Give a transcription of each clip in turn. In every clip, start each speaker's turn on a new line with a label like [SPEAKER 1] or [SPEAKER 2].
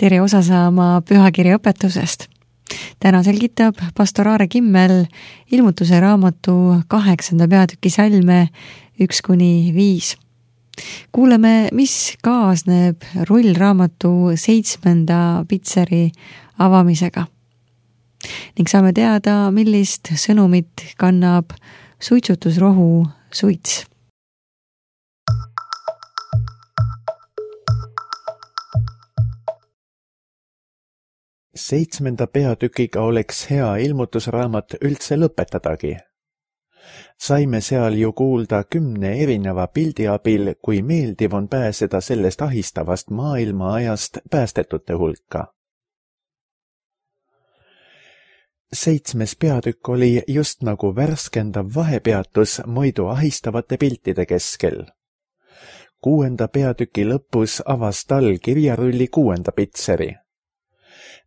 [SPEAKER 1] tere osa saama pühakirja õpetusest. Täna selgitab pastor Aare Kimmel ilmutuse raamatu 8. peatüki salme 1-5. Kuuleme, mis kaasneb rullraamatu 7. pitseri avamisega. Ning saame teada, millist sõnumit kannab suitsutusrohu suits.
[SPEAKER 2] Seitsmenda peatükiga oleks hea ilmutusraamat üldse lõpetadagi. Saime seal ju kuulda 10 erineva pildi abil, kui meeldiv on pääseda sellest ahistavast maailma ajast päästetute hulka. 7. peatükk oli just nagu värskendav vahepeatus muidu ahistavate piltide keskel. 6. peatüki lõpus avas tal kirjarulli 6. pitseri.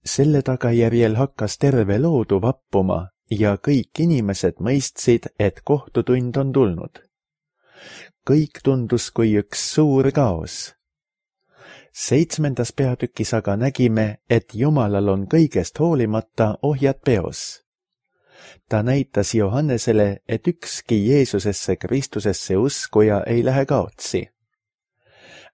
[SPEAKER 2] Selle tagajärjel hakkas terve loodu vappuma ja kõik inimesed mõistsid, et kohtutund on tulnud. Kõik tundus kui üks suur kaos. 7. peatükis aga nägime, et Jumalal on kõigest hoolimata ohjad peos. Ta näitas Johannesele, et ükski Jeesusesse Kristusesse uskuja ei lähe kaotsi.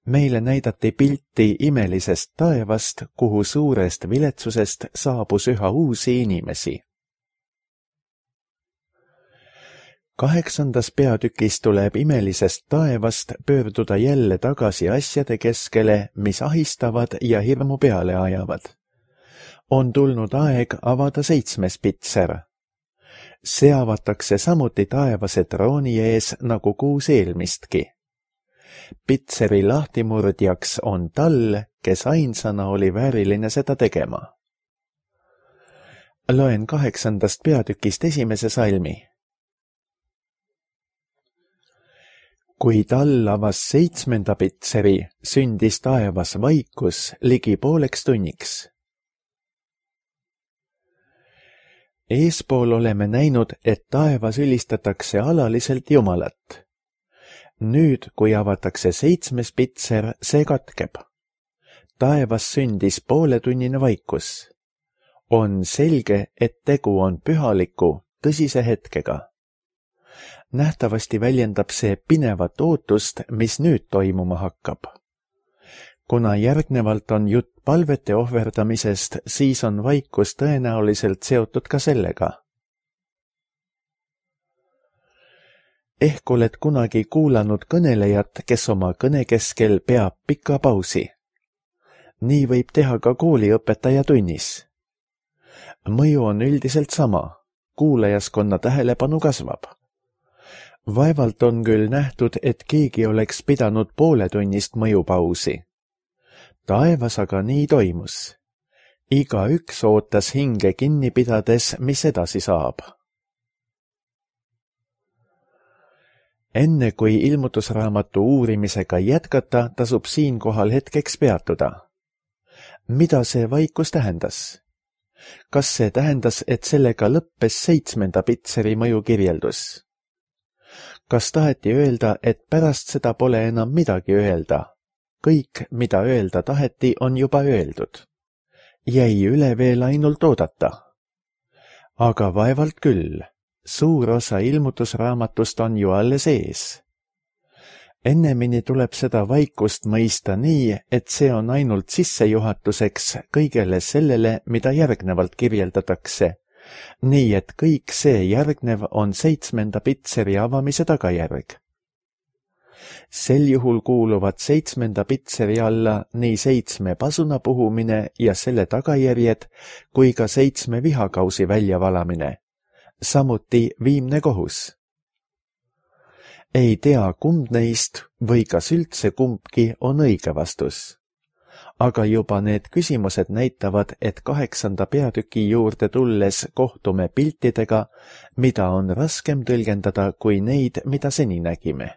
[SPEAKER 2] Meile näidati pilti imelisest taevast, kuhu suurest viletsusest saabus üha uusi inimesi. 8. peatükis tuleb imelisest taevast pöörduda jälle tagasi asjade keskele, mis ahistavad ja hirmu peale ajavad. On tulnud aeg avada 7. pitser. See avatakse samuti taevase trooni ees nagu 6 eelmistki. Pitseri lahtimurdjaks on tal, kes ainsana oli vääriline seda tegema. Loen 8. peatükist 1. salmi. Kui tal avas 7. pitseri, sündis taevas vaikus ligi pooleks tunniks. Eespool oleme näinud, et taevas ülistatakse alaliselt Jumalat. Nüüd, kui avatakse 7. pitser, see katkeb. Taevas sündis pooletunnine vaikus. On selge, et tegu on pühaliku, tõsise hetkega. Nähtavasti väljendab see pinevat ootust, mis nüüd toimuma hakkab. Kuna järgnevalt on jutt palvete ohverdamisest, siis on vaikus tõenäoliselt seotud ka sellega. Ehk oled kunagi kuulanud kõnelejat, kes oma kõne keskel peab pika pausi. Nii võib teha ka kooliõpetaja tunnis. Mõju on üldiselt sama, kuulajaskonna tähelepanu kasvab. Vaevalt on küll nähtud, et keegi oleks pidanud pooletunnist mõjupausi. Taevas aga nii toimus. Igaüks ootas hinge kinni pidades, mis edasi saab. Enne kui ilmutusraamatu uurimisega jätkata, tasub siinkohal hetkeks peatuda. Mida see vaikus tähendas? Kas see tähendas, et sellega lõppes 7. pitseri mõjukirjeldus? Kas taheti öelda, et pärast seda pole enam midagi öelda? Kõik, mida öelda taheti, on juba öeldud. Jäi üle veel ainult oodata. Aga vaevalt küll. Suur osa ilmutusraamatust on ju alles ees. Ennemini tuleb seda vaikust mõista nii, et see on ainult sissejuhatuseks kõigele sellele, mida järgnevalt kirjeldatakse. Nii et kõik see järgnev on 7. pitseri avamise tagajärg. Sel juhul kuuluvad 7. pitseri alla nii 7 pasuna puhumine ja selle tagajärjed kui ka 7 vihakausi väljavalamine. Samuti viimne kohus. Ei tea, kumb neist või kas üldse kumbki on õige vastus. Aga juba need küsimused näitavad, et 8. peatüki juurde tulles kohtume piltidega, mida on raskem tõlgendada kui neid, mida seni nägime.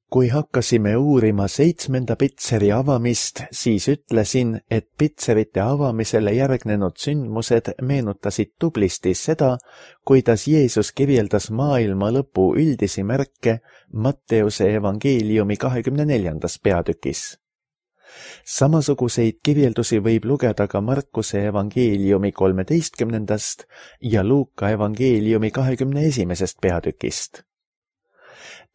[SPEAKER 2] Kui hakkasime uurima 7. pitseri avamist, siis ütlesin, et pitserite avamisele järgnenud sündmused meenutasid tublisti seda, kuidas Jeesus kirjeldas maailma lõpu üldisi märke Matteuse evangeeliumi 24. peatükis. Samasuguseid kirjeldusi võib lugeda ka Markuse evangeeliumi 13. ja Luuka evangeeliumi 21. peatükist.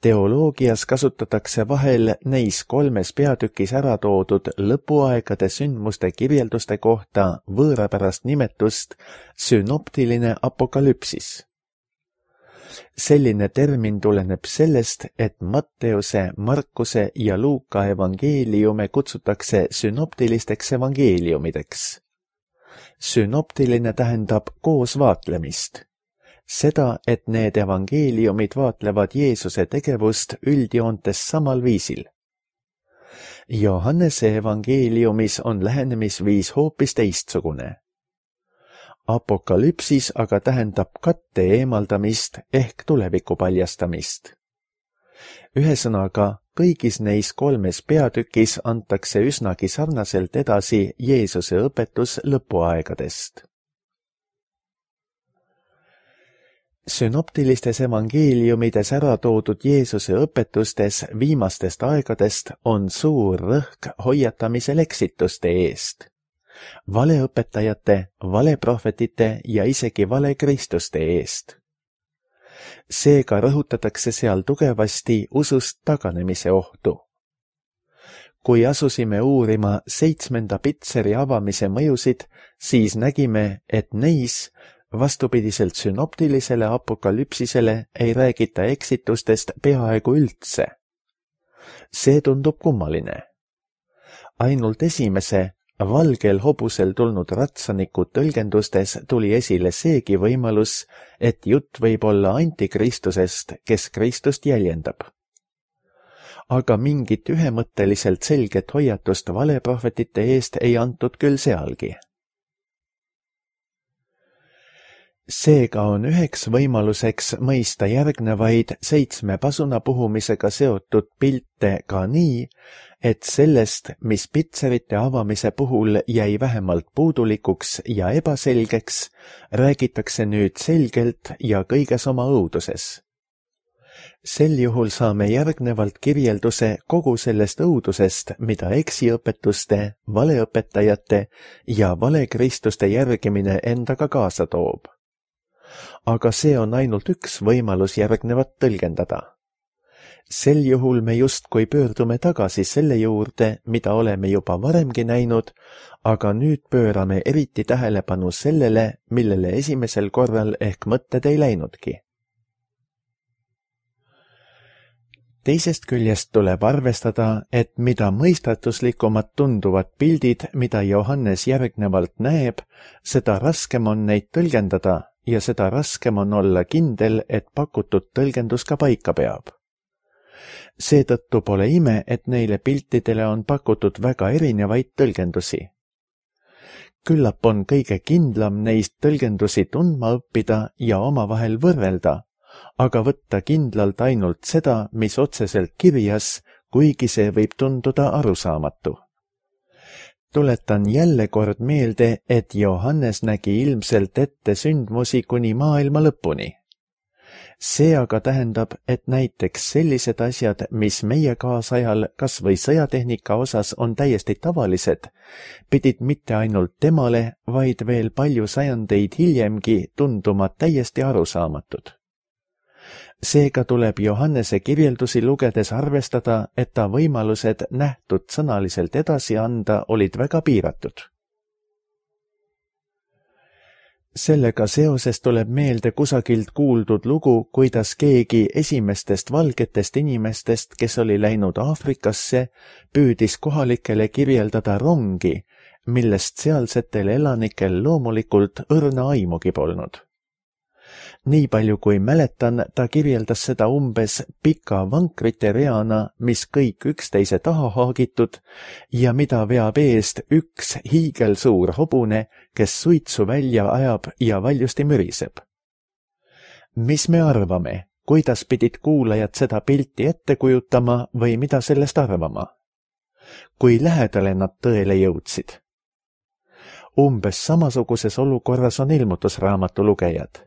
[SPEAKER 2] Teoloogias kasutatakse vahel neis 3 peatükis ära toodud lõpuaegade sündmuste kirjelduste kohta võõrapärast nimetust sünoptiline apokalüpsis. Selline termin tuleneb sellest, et Matteuse, Markuse ja Luuka evangeeliume kutsutakse sünoptilisteks evangeeliumideks. Sünoptiline tähendab koos vaatlemist. Seda, et need evangeeliumid vaatlevad Jeesuse tegevust üldjoontes samal viisil. Johannese evangeeliumis on lähenemisviis hoopis teistsugune. Apokalüpsis aga tähendab katte eemaldamist ehk tuleviku paljastamist. Ühesõnaga, kõigis neis 3 peatükis antakse üsnagi sarnaselt edasi Jeesuse õpetus lõpuaegadest. Sünoptilistes evangeeliumides ära toodud Jeesuse õpetustes viimastest aegadest on suur rõhk hoiatamisel eksituste eest, valeõpetajate, valeprohvetite ja isegi valekristuste eest. Seega rõhutatakse seal tugevasti usust taganemise ohtu. Kui asusime uurima 7. pitseri avamise mõjusid, siis nägime, et neis vastupidiselt sünoptilisele apokalüpsisele ei räägita eksitustest peaaegu üldse. See tundub kummaline. Ainult esimese, valgel hobusel tulnud ratsaniku tõlgendustes tuli esile seegi võimalus, et jutt võib olla antikristusest, kes Kristust jäljendab. Aga mingit ühemõtteliselt selget hoiatust valeprohvetite eest ei antud küll sealgi. Seega on üheks võimaluseks mõista järgnevaid 7 pasunapuhumisega seotud pilte ka nii, et sellest, mis pitserite avamise puhul jäi vähemalt puudulikuks ja ebaselgeks, räägitakse nüüd selgelt ja kõiges oma õuduses. Sel juhul saame järgnevalt kirjelduse kogu sellest õudusest, mida eksiõpetuste, valeõpetajate ja valekristuste järgimine endaga kaasa toob. Aga see on ainult üks võimalus järgnevat tõlgendada. Sel juhul me justkui pöördume tagasi selle juurde, mida oleme juba varemgi näinud, aga nüüd pöörame eriti tähelepanu sellele, millele esimesel korral ehk mõtted ei läinudki. Teisest küljest tuleb arvestada, et mida mõistatuslikumad tunduvad pildid, mida Johannes järgnevalt näeb, seda raskem on neid tõlgendada ja seda raskem on olla kindel, et pakutud tõlgendus ka paika peab. Seetõttu pole ime, et neile piltidele on pakutud väga erinevaid tõlgendusi. Küllap on kõige kindlam neist tõlgendusi tundma õppida ja omavahel võrrelda, aga võtta kindlalt ainult seda, mis otseselt kirjas, kuigi see võib tunduda arusaamatu. Tuletan jälle kord meelde, et Johannes nägi ilmselt ette sündmusi kuni maailma lõpuni. See aga tähendab, et näiteks sellised asjad, mis meie kaasajal kas või sõjatehnika osas on täiesti tavalised, pidid mitte ainult temale, vaid veel palju sajandeid hiljemgi tunduma täiesti arusaamatud. Seega tuleb Johannese kirjeldusi lugedes arvestada, et ta võimalused nähtud sõnaliselt edasi anda olid väga piiratud. Sellega seoses tuleb meelde kusagilt kuuldud lugu, kuidas keegi esimestest valgetest inimestest, kes oli läinud Aafrikasse, püüdis kohalikele kirjeldada rongi, millest sealsetel elanikel loomulikult õrna aimugi polnud. Nii palju kui mäletan, ta kirjeldas seda umbes pika vankrite reana, mis kõik üksteise taha haagitud ja mida veab eest üks hiigelsuur hobune, kes suitsu välja ajab ja valjusti müriseb. Mis me arvame, kuidas pidid kuulajad seda pilti ette kujutama või mida sellest arvama? Kui lähedale nad tõele jõudsid? Umbes samasuguses olukorras on ilmutusraamatu lugejad.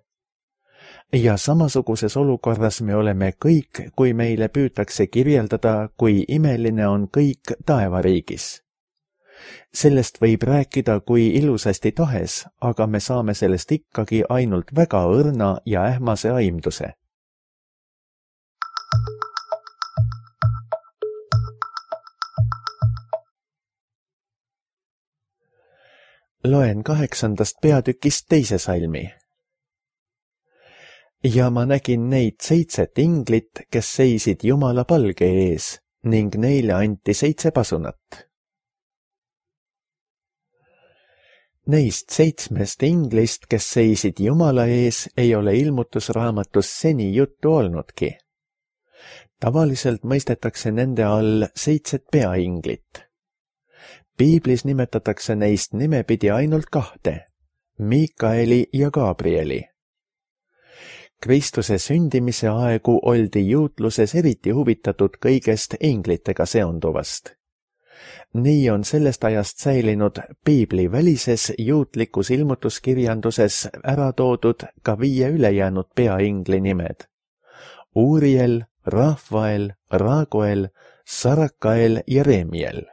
[SPEAKER 2] Ja samasuguses olukorras me oleme kõik, kui meile püütakse kirjeldada, kui imeline on kõik taevariigis. Sellest võib rääkida kui ilusasti tahes, aga me saame sellest ikkagi ainult väga õrna ja ähmase aimduse. Loen 8. peatükist 2. salmi. Ja ma nägin neid 7 inglit, kes seisid Jumala palge ees ning neile anti 7 pasunat. Neist 7 inglist, kes seisid Jumala ees, ei ole ilmutusraamatus seni juttu olnudki. Tavaliselt mõistetakse nende all 7 peainglit. Piiblis nimetatakse neist nimepidi ainult 2, Miikaeli ja Gabrieli. Kristuse sündimise aegu oldi juutluses eriti huvitatud kõigest inglitega seonduvast. Nii on sellest ajast säilinud Piibli välises juutlikus ilmutuskirjanduses ära toodud ka 5 ülejäänud peaingli nimed. Uriel, Rahvael, Raguel, Sarakael ja Remiel.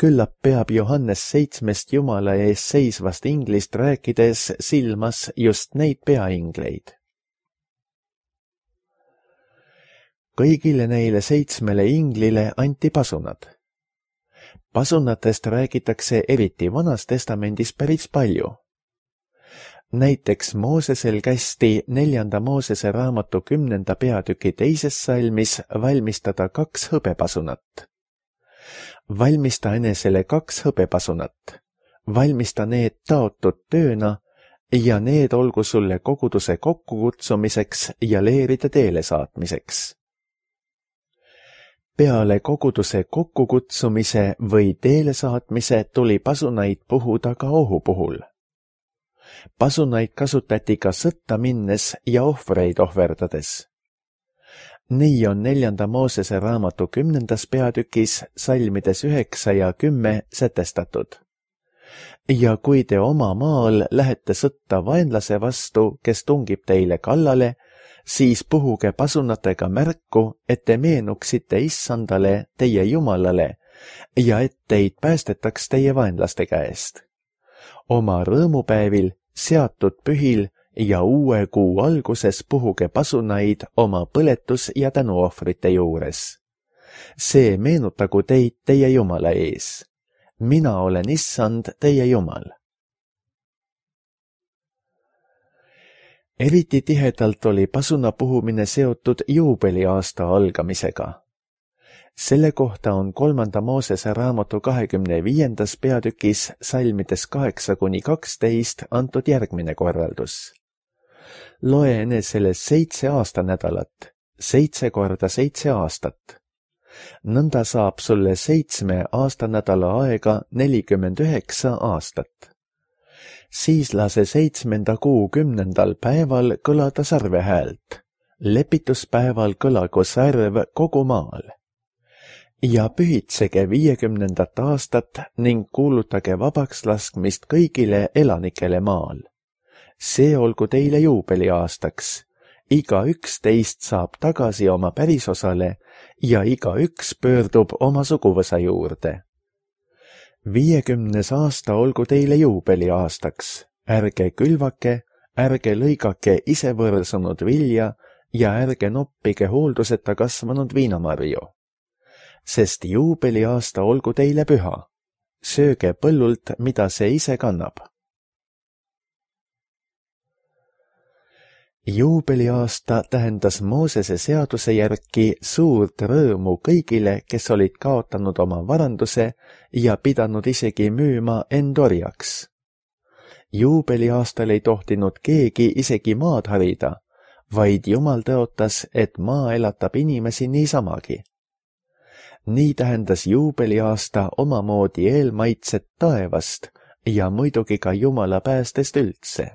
[SPEAKER 2] Küllap peab Johannes 7 Jumala ees seisvast inglist rääkides silmas just neid peaingleid. Kõigile neile 7 inglile anti pasunad. Pasunatest räägitakse eriti Vanas Testamendis päris palju. Näiteks Moosesel kästi 4. Moosese raamatu 10. peatüki 2. salmis valmistada 2 hõbepasunat. Valmista enesele 2 hõbepasunat, valmista need taotud tööna ja need olgu sulle koguduse kokkukutsumiseks ja leeride teele saatmiseks. Peale koguduse kokkukutsumise või teele saatmise tuli pasunaid puhuda ka ohu puhul. Pasunaid kasutati ka sõtta minnes ja ohvreid ohverdades. Nii on 4. Moosese raamatu 10. peatükis salmides 9 ja 10 sätestatud. Ja kui te oma maal lähete sõtta vaenlase vastu, kes tungib teile kallale, siis puhuge pasunatega märku, et te meenuksite Issandale, teie Jumalale, ja et teid päästetaks teie vaenlaste käest. Oma rõõmupäevil, seatud pühil ja uue kuu alguses puhuge pasunaid oma põletus- ja tänuohvrite juures. See meenutagu teid teie Jumala ees. Mina olen Issand, teie Jumal. Eriti tihedalt oli pasuna puhumine seotud juubeliaasta algamisega. Selle kohta on 3. Moosese raamatu 25. peatükis salmides 8-12 antud järgmine korraldus. Loe enesele 7 aastanädalat, 7 korda 7 aastat. Nõnda saab sulle 7 aastanädala aega 49 aastat. Siis lase 7. kuu 10. päeval kõlada sarvehäält. Lepituspäeval kõlagu särv kogu maal. Ja pühitsege 50. aastat ning kuulutage vabaks laskmist kõigile elanikele maal. See olgu teile juubeliaastaks. Igaüks teist saab tagasi oma pärisosale ja igaüks pöördub oma suguvõsa juurde. 50. aasta olgu teile juubeliaastaks. Ärge külvake, ärge lõigake ise võrsunud vilja ja ärge noppige hoolduseta kasvanud viinamarju. Sest juubeliaasta olgu teile püha. Sööge põllult, mida see ise kannab. Juubeliaasta tähendas Moosese seaduse järgi suurt rõõmu kõigile, kes olid kaotanud oma varanduse ja pidanud isegi müüma end orjaks. Juubeliaastal ei tohtinud keegi isegi maad harida, vaid Jumal tõotas, et maa elatab inimesi niisamagi. Nii tähendas juubeliaasta omamoodi eelmaitset taevast ja muidugi ka Jumala päästest üldse.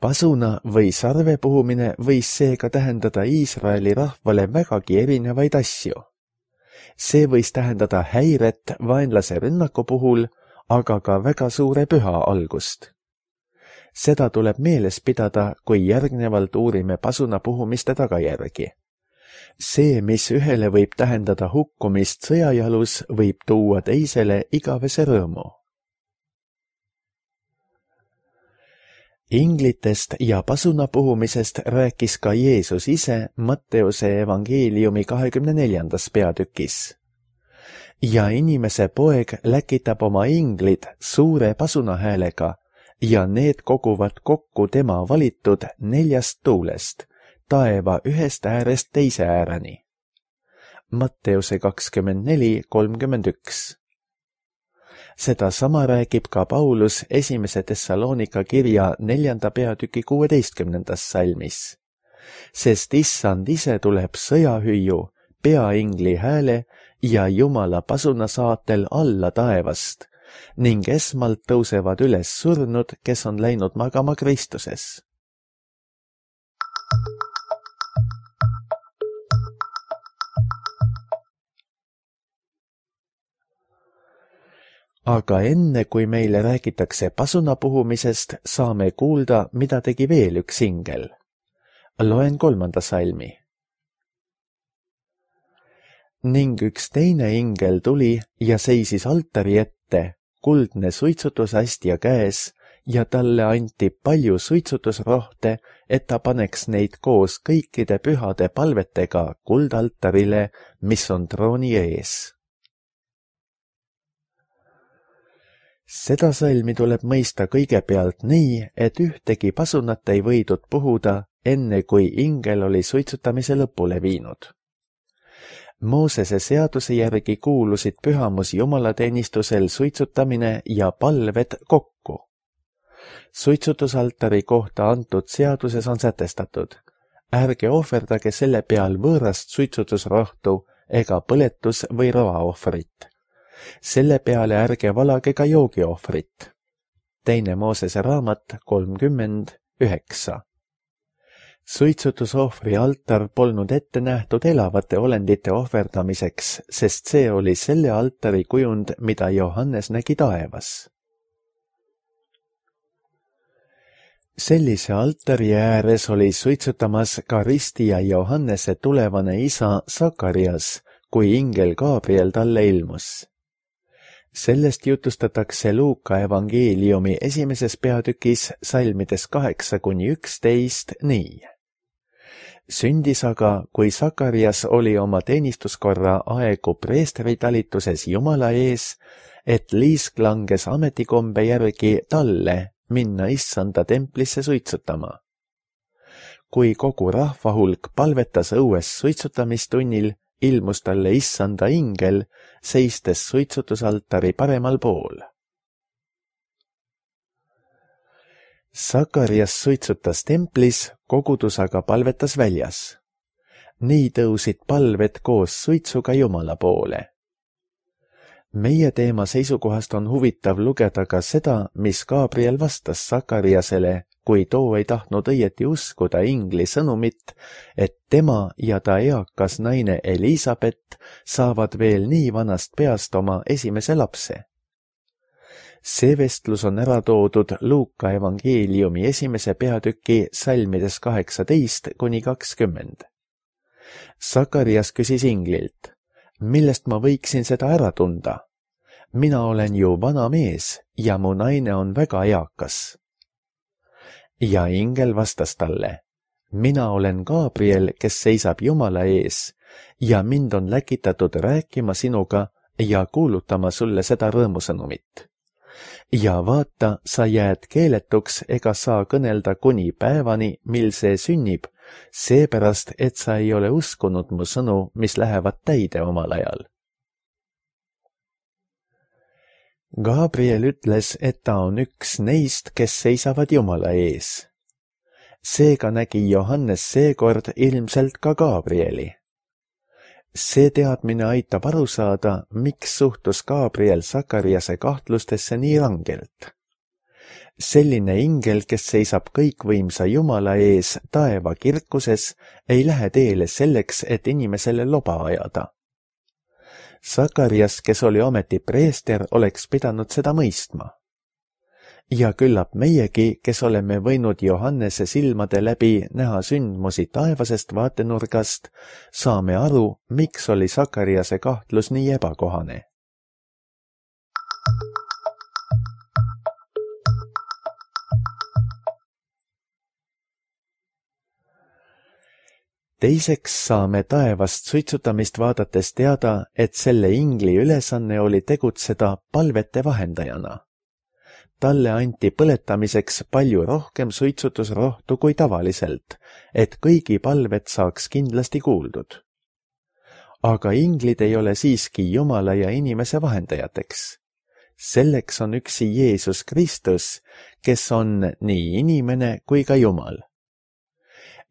[SPEAKER 2] Pasuna või sarve puhumine võis seega tähendada Iisraeli rahvale vägagi erinevaid asju. See võis tähendada häiret vaenlase rünnaku puhul, aga ka väga suure püha algust. Seda tuleb meeles pidada, kui järgnevalt uurime pasuna puhumiste tagajärgi. See, mis ühele võib tähendada hukkumist sõjajalus, võib tuua teisele igavese rõõmu. Inglitest ja pasuna puhumisest rääkis ka Jeesus ise Matteuse evangeeliumi 24. peatükis. Ja inimese poeg läkitab oma inglid suure pasuna häälega ja need koguvad kokku tema valitud 4 tuulest, taeva ühest äärest teise ääreni. Matteuse 24:31. Seda sama räägib ka Paulus 1. Thessalonika kirja 4. peatüki 16. salmis. Sest issand ise tuleb sõjahüüu, peaingli hääle ja Jumala pasuna saatel alla taevast ning esmalt tõusevad üles surnud, kes on läinud magama Kristuses. Aga enne, kui meile räägitakse pasuna puhumisest, saame kuulda, mida tegi veel üks ingel. Loen 3. salmi. Ning üks teine ingel tuli ja seisis altari ette, kuldne suitsutusastja käes, ja talle anti palju suitsutusrohte, et ta paneks neid koos kõikide pühade palvetega kuldaltarile, mis on trooni ees. Seda salmi tuleb mõista kõigepealt nii, et ühtegi pasunat ei võidud puhuda, enne kui ingel oli suitsutamise lõpule viinud. Moosese seaduse järgi kuulusid pühamus jumalateenistusel suitsutamine ja palved kokku. Suitsutusaltari kohta antud seaduses on sätestatud: ärge ohverdage selle peal võõrast suitsutusrohtu ega põletus- või roaohvrit. Selle peale ärge valage ka joogiohvrit. 2. Moosese raamat 30:9. Suitsutusohvri altar polnud ette nähtud elavate olendite ohverdamiseks, sest see oli selle altari kujund, mida Johannes nägi taevas. Sellise altari ääres oli suitsutamas ka ristija Johannese tulevane isa Sakarias, kui ingel Gabriel talle ilmus. Sellest jutustatakse Luuka evangeeliumi 1. peatükis salmides 8-11 nii. Sündis aga, kui Sakarias oli oma teenistuskorra aegu preestritalituses Jumala ees, et liisk langes ametikombe järgi talle minna issanda templisse suitsutama. Kui kogu rahvahulk palvetas õues suitsutamistunnil, ilmus talle issanda ingel, seistes suitsutusaltari paremal pool. Sakarias suitsutas templis, kogudus aga palvetas väljas. Nii tõusid palved koos suitsuga Jumala poole. Meie teema seisukohast on huvitav lugeda ka seda, mis Gabriel vastas Sakariasele, kui too ei tahtnud õieti uskuda ingli sõnumit, et tema ja ta eakas naine Elisabet saavad veel nii vanast peast oma esimese lapse. See vestlus on ära toodud Luuka evangeeliumi 1. peatüki salmides 18-20. Sakarias küsis inglilt: millest ma võiksin seda ära tunda? Mina olen ju vana mees ja mu naine on väga eakas. Ja ingel vastas talle: mina olen Gabriel, kes seisab Jumala ees ja mind on läkitatud rääkima sinuga ja kuulutama sulle seda rõõmusõnumit. Ja vaata, sa jääd keeletuks ega saa kõnelda kuni päevani, mil see sünnib, seepärast, et sa ei ole uskunud mu sõnu, mis lähevad täide omal ajal. Gabriel ütles, et ta on üks neist, kes seisavad Jumala ees. Seega nägi Johannes seekord ilmselt ka Gabrieli. See teadmine aitab aru saada, miks suhtus Gabriel Sakariase kahtlustesse nii rangelt. Selline ingel, kes seisab kõikvõimsa Jumala ees taeva kirkuses, ei lähe teele selleks, et inimesele loba ajada. Sakarias, kes oli ometi preester, oleks pidanud seda mõistma. Ja küllap meiegi, kes oleme võinud Johannese silmade läbi näha sündmusi taevasest vaatenurgast, saame aru, miks oli Sakariase kahtlus nii ebakohane. Teiseks saame taevast suitsutamist vaadates teada, et selle ingli ülesanne oli tegutseda palvete vahendajana. Talle anti põletamiseks palju rohkem suitsutusrohtu kui tavaliselt, et kõigi palved saaks kindlasti kuuldud. Aga inglid ei ole siiski Jumala ja inimese vahendajateks. Selleks on üksi Jeesus Kristus, kes on nii inimene kui ka Jumal.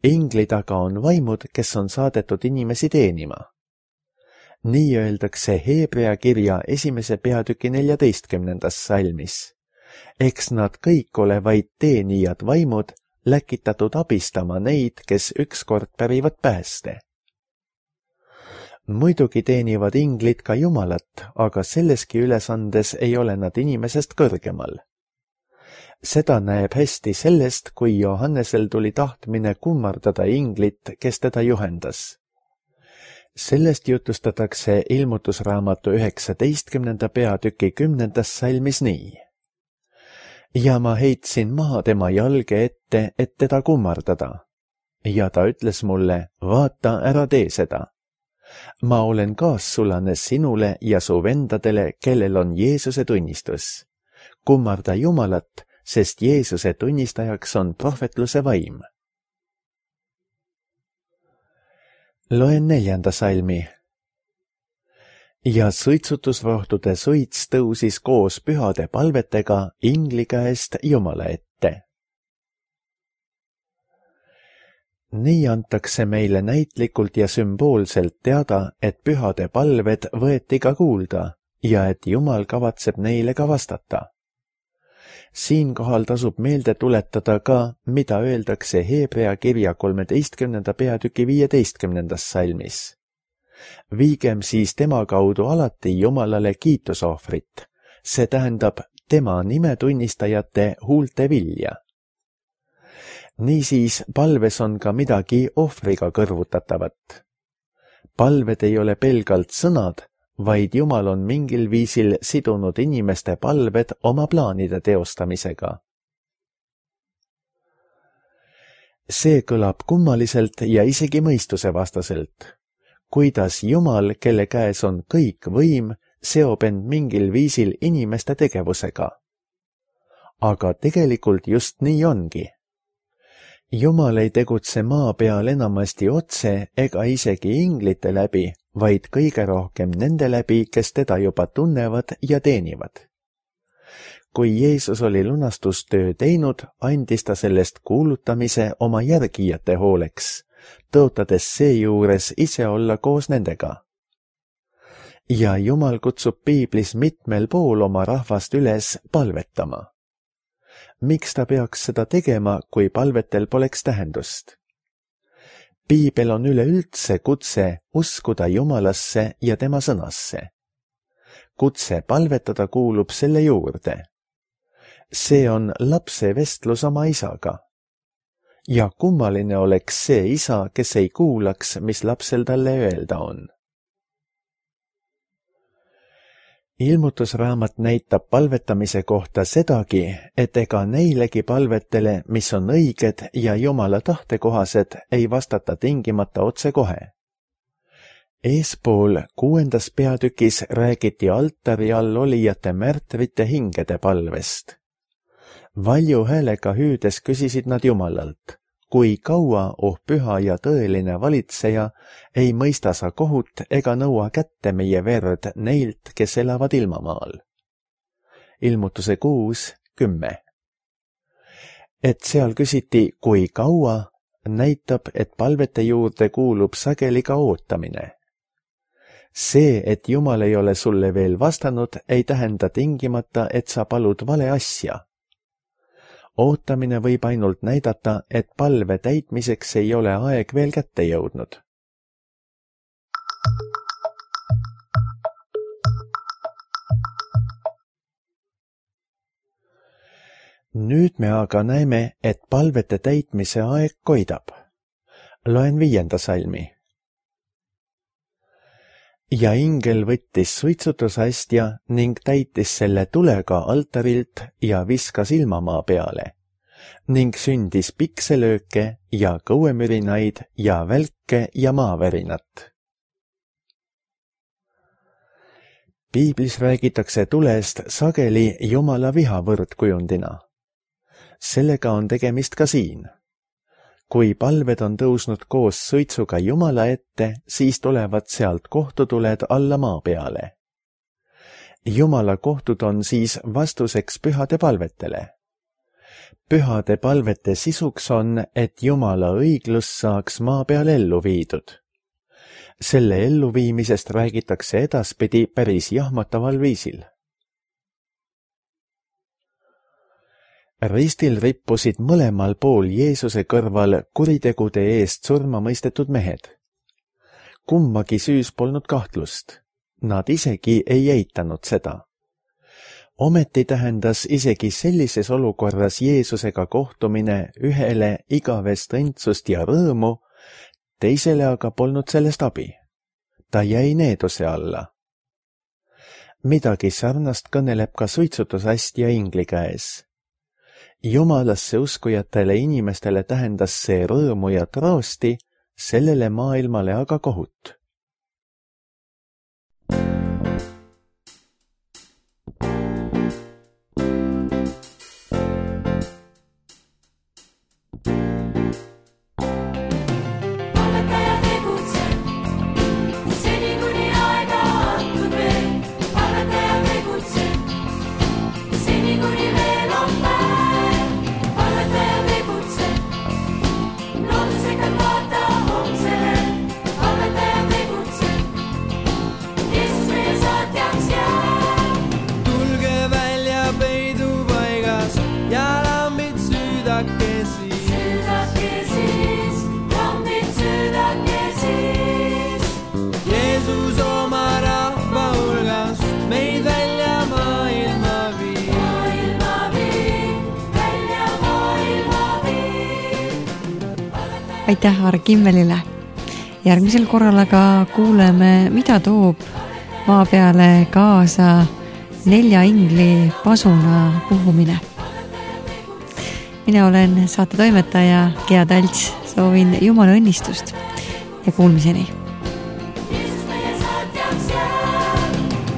[SPEAKER 2] Ingli taga on vaimud, kes on saadetud inimesi teenima. Nii öeldakse Hebrea kirja 1. peatüki 14. salmis. Eks nad kõik ole vaid teenijad vaimud, läkitatud abistama neid, kes ükskord pärivad pääste. Muidugi teenivad inglid ka Jumalat, aga selleski ülesandes ei ole nad inimesest kõrgemal. Seda näeb hästi sellest, kui Johannesel tuli tahtmine kummardada inglit, kes teda juhendas. Sellest jutustatakse Ilmutusraamatu 19. peatüki 10. salmis nii. Ja ma heitsin maha tema jalge ette, et teda kummardada. Ja ta ütles mulle, vaata, ära tee seda. Ma olen kaassulane sinule ja su vendadele, kellel on Jeesuse tunnistus. Kummarda Jumalat, sest Jeesuse tunnistajaks on prohvetluse vaim. Loen 4. salmi. Ja suitsutusrohtude suits tõusis koos pühade palvetega ingli käest Jumala ette. Nii antakse meile näitlikult ja sümboolselt teada, et pühade palved võeti ka kuulda ja et Jumal kavatseb neile ka vastata. Siinkohal tasub meelde tuletada ka, mida öeldakse Hebrea kirja 13. peatüki 15. salmis. Viigem siis tema kaudu alati Jumalale kiitusohvrit, see tähendab tema nimetunnistajate huulte vilja. Niisiis palves on ka midagi ohvriga kõrvutatavat. Palved ei ole pelgalt sõnad, vaid Jumal on mingil viisil sidunud inimeste palved oma plaanide teostamisega. See kõlab kummaliselt ja isegi mõistusevastaselt. Kuidas Jumal, kelle käes on kõik võim, seob end mingil viisil inimeste tegevusega. Aga tegelikult just nii ongi. Jumal ei tegutse maa peal enamasti otse ega isegi inglite läbi, vaid kõige rohkem nende läbi, kes teda juba tunnevad ja teenivad. Kui Jeesus oli lunastustöö teinud, andis ta sellest kuulutamise oma järgijate hooleks, tõotades seejuures ise olla koos nendega. Ja Jumal kutsub piiblis mitmel pool oma rahvast üles palvetama. Miks ta peaks seda tegema, kui palvetel poleks tähendust? Piibel on üleüldse kutse uskuda Jumalasse ja tema sõnasse. Kutse palvetada kuulub selle juurde. See on lapse vestlus oma isaga. Ja kummaline oleks see isa, kes ei kuulaks, mis lapsel talle öelda on. Ilmutusraamat näitab palvetamise kohta sedagi, et ega neilegi palvetele, mis on õiged ja Jumala tahtekohased, ei vastata tingimata otsekohe. Eespool 6. peatükis räägiti altari all olijate märtrite hingede palvest. Valju häälega hüüdes küsisid nad Jumalalt, kui kaua, oh püha ja tõeline valitseja, ei mõista sa kohut ega nõua kätte meie verd neilt, kes elavad ilmamaal. Ilmutuse 6:10. Et seal küsiti, kui kaua, näitab, et palvete juurde kuulub sageli ka ootamine. See, et Jumal ei ole sulle veel vastanud, ei tähenda tingimata, et sa palud vale asja. ootamine võib ainult näidata, et palve täitmiseks ei ole aeg veel kätte jõudnud. Nüüd me aga näeme, et palvete täitmise aeg koidab. Loen 5. salmi. Ja ingel võttis suitsutusastja ning täitis selle tulega altarilt ja viskas ilmamaa peale ning sündis pikselööke ja kõuemürinaid ja välke ja maavärinat. Piiblis räägitakse tulest sageli Jumala viha võrdkujundina. Sellega on tegemist ka siin. Kui palved on tõusnud koos suitsuga Jumala ette, siis tulevad sealt kohtutuled alla maa peale. Jumala kohtud on siis vastuseks pühade palvetele. Pühade palvete sisuks on, et Jumala õiglus saaks maa peal ellu viidud. Selle elluviimisest räägitakse edaspidi päris jahmataval viisil. Ristil rippusid mõlemal pool Jeesuse kõrval kuritegude eest surma mõistetud mehed. Kummagi süüs polnud kahtlust. Nad isegi ei eitanud seda. Ometi tähendas isegi sellises olukorras Jeesusega kohtumine ühele igavest õndsust ja rõõmu, teisele aga polnud sellest abi. Ta jäi needuse alla. Midagi sarnast kõneleb ka suitsutusastja ingli käes. Jumalasse uskujatele inimestele tähendas see rõõmu ja troosti, sellele maailmale aga kohut.
[SPEAKER 1] Aitäh Aare Kimmelile. Järgmisel korral aga kuuleme, mida toob maa peale kaasa 4 ingli pasuna puhumine. Mina olen saate toimetaja Gea Talts, soovin Jumala õnnistust ja kuulmiseni.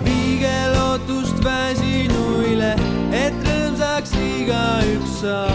[SPEAKER 3] Viige lootust väsinuile, et rõõmsaks igaüks saab.